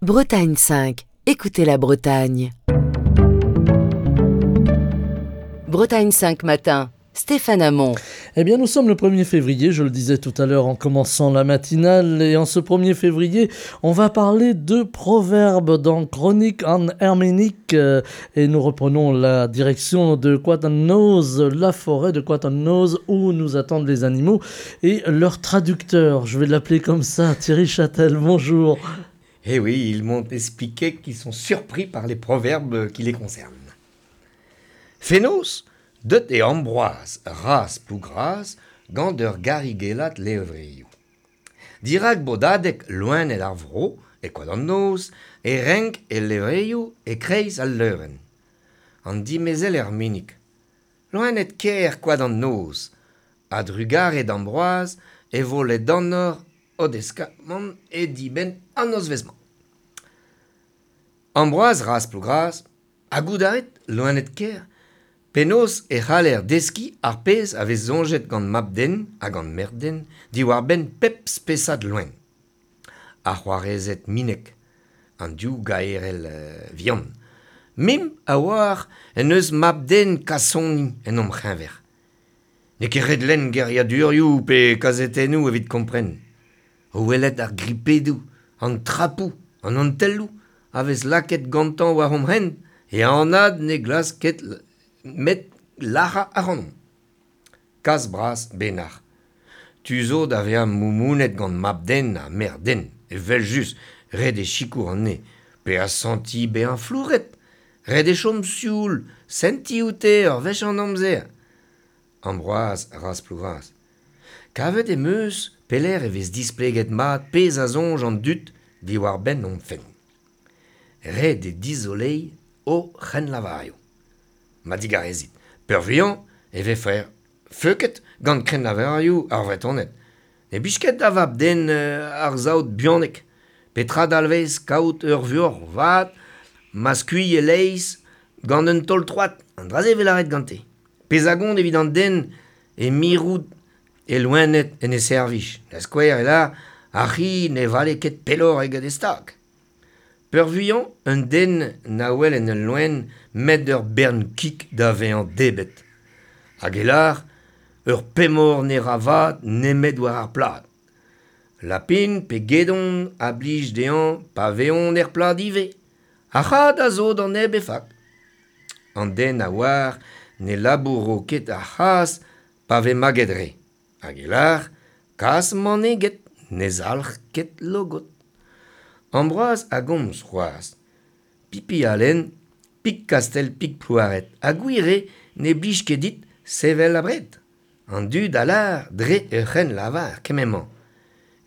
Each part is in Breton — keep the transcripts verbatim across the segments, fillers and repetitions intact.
Bretagne cinq, écoutez la Bretagne. Bretagne cinq matin, Stéphane Hamon. Eh bien, nous sommes le premier février, je le disais tout à l'heure en commençant la matinale. Et en ce premier février, on va parler de proverbes dans Chronique en Herménique. Et nous reprenons la direction de Koad an Noz, la forêt de Koad an Noz, où nous attendent les animaux et leur traducteur. Je vais l'appeler comme ça, Thierry Châtel, bonjour. Eh oui, ils m'ont expliqué qu'ils sont surpris par les proverbes qui les concernent. Fenoz, deut eo Ambroaz, raz Plougras, gant ur garigellat levrioù. Dirak bodadeg loened ar vro, e Koad an Noz, e renk e levrioù e kreiz al leurenn. An dimezell Erminig. Loened ker Koad an Noz, a drugare d'Ambroaz e vo ledanoc'h o deskamant e dibenn an nozvezh-mañ. Ambroaz raz Plougras, ha goût a rit, loened ker, penaos e c'haller deskiñ ar pezh a vez soñjet gant mab-den ha gant merc'h-den diwar-benn pep spesad loen. Ar c'hoarezed minek, an div gaerell vihan. Mimp a oar en deus mab-den kasoni en hom c'heñver. N'eo ket ret lenn geriadurioù pe kazetennoù evit kompren. O welet ar gripedoù, an trapoù, an antelloù a vez lakaet gantañ war hom hent e anad ne glask ket met lac'hañ ac'hanomp. Kas bras benac'h. Tu zo da vezañ moumounet gant mab-den ha merc'h-den, evel-just, ret eo sikour anezhe, pe asantiñ bezañ flouret, ret eo chom sioul, sentiñ oute ur wech an amzer. Ambroaz raz Plougras. Kavet em eus pelec'h e vez displeget mat pezh a soñj an dud diwar-benn hon fenn. Ret eo dizoleiñ o c'hrennlavarioù. Ma digarezit, peurvuiañ e vefe feuket gant krennlavarioù ar Vretoned. Ne blij ket da vab-den ar saout buanek. Petra dalvez kaout ur vuoc'h vat ma skuilh e-leizh gant un taol troad, an dra-se e vez lâret gante. Pezh a gont evit an den e mirout e loened en e servij. Da skouer e lâr ar c'hi ne vale ket pelloc'h eget e stag. Peurvuiañ, un den na wel en ul loen met ur bern kig da vezañ debret. Hag e lâr ur pemoc'h ne ra vat nemet war ar plad. Lapin pe gedon a blij dezhañ pa vezont er plad ivez. Ar c'had a zo d'an neb e fak. An den a oar ne labouro ket ar c'hazh pa vez maget re. Hag e lâr kazh maneget ne zalc'h ket logod. Ambroaz a gomz c'hoazh. Pipi Alen, pik Kastell pik Plouaret, ha gwir eo ne blij ket dit sevel abred. An dud a lâr dre ur c'hrennlavar kement-mañ.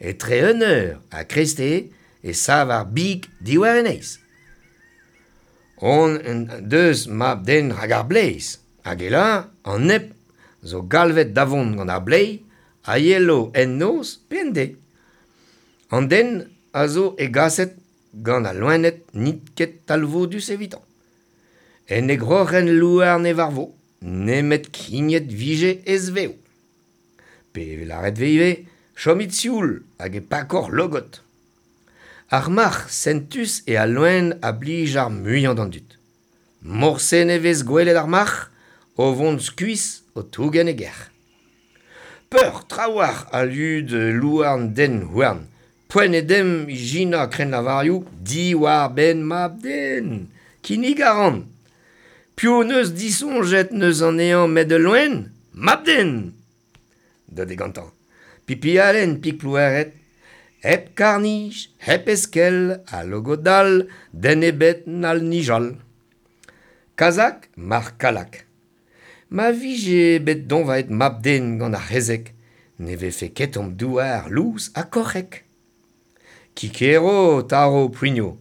Etre un eur ha kreisteiz e sav ar big diwar e neizh. On deus mab-den rak ar bleiz. Hag e lâr an neb zo galvet da vont gant ar bleiz a yelo en noz pe en deiz. An den a zo hegaset gant al loened n'int ket talvoudus evitañ. En e groc'hen louarn e varvo, nemet krignet vije ez-vev. Pe e lâret vez ivez, chomit sioul hag e pakoc'h logod. Ar marc'h sentus eo al loen a blij ar muiañ d'an dud. Morse ne vez gwelet ar marc'h o vont skuizh o tougen e gerc'h. Peur trawalc'h a lud louarn den houarn. Poent eo demp ijinañ krennlavarioù diwar-benn mab-den. Kinnig a ran. Piv n'eus disoñjet n'eus anezhañ met ul loen? Mab-den! Deut eo gantañ. Pipi Alen, pik Plouaret, hep karr-nij, hep eskell, ha logod-dall, den ebet n'hall nijal. Kazak, marc'h Kallag. Ma vije bet doñvaet mab-den gant ar c'hezeg, ne vefe ket hon douar lous ha koc'hek. Kikero, taro Plouigno,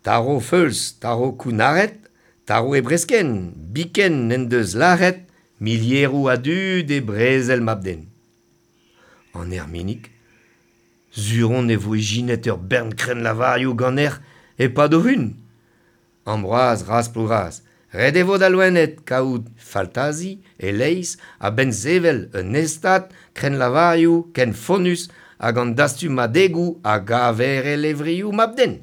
taro feuls, taro kounnaret, taro e breskenn, biken n'en deus lâret milieroù a dud e brezel mab-den. An Erminig, sur on e vo ijinet ur bern krennlavarioù ganec'h e-pad ho hun. Ambroaz raz Plougras, ret e vo da loened kaout faltazi e-leizh a-benn sevel un hestad krennlavarioù ken fonnus hag an dastumadegoù a gaver e levrioù mab-den.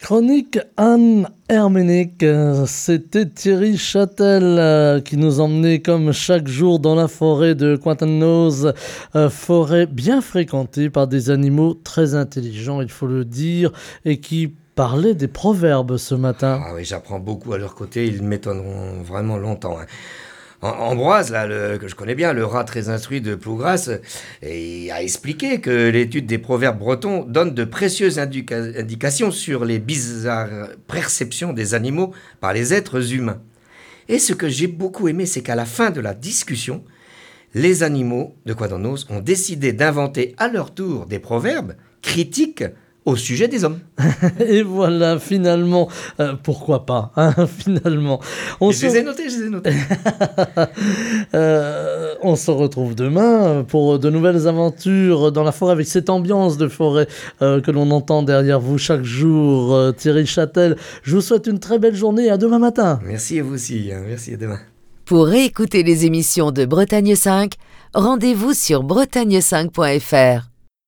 Chronique Anne Herménic, c'était Thierry Châtel euh, qui nous emmenait comme chaque jour dans la forêt de Cointennoz, euh, forêt bien fréquentée par des animaux très intelligents, il faut le dire, et qui parlait des proverbes ce matin. Ah oui, j'apprends beaucoup à leur côté, ils m'étonneront vraiment longtemps. Hein. Ambroise, là, le, que je connais bien, le rat très instruit de Plougras, et a expliqué que l'étude des proverbes bretons donne de précieuses indica- indications sur les bizarres perceptions des animaux par les êtres humains. Et ce que j'ai beaucoup aimé, c'est qu'à la fin de la discussion, les animaux de Coadannoz ont décidé d'inventer à leur tour des proverbes critiques au sujet des hommes. Et voilà, finalement, euh, pourquoi pas, hein, finalement. On je se... les ai notés, je les ai notés. euh, on se retrouve demain pour de nouvelles aventures dans la forêt, avec cette ambiance de forêt euh, que l'on entend derrière vous chaque jour. Euh, Thierry Châtel, je vous souhaite une très belle journée et à demain matin. Merci à vous aussi, hein, merci, à demain. Pour réécouter les émissions de Bretagne cinq, rendez-vous sur bretagne cinq point F R.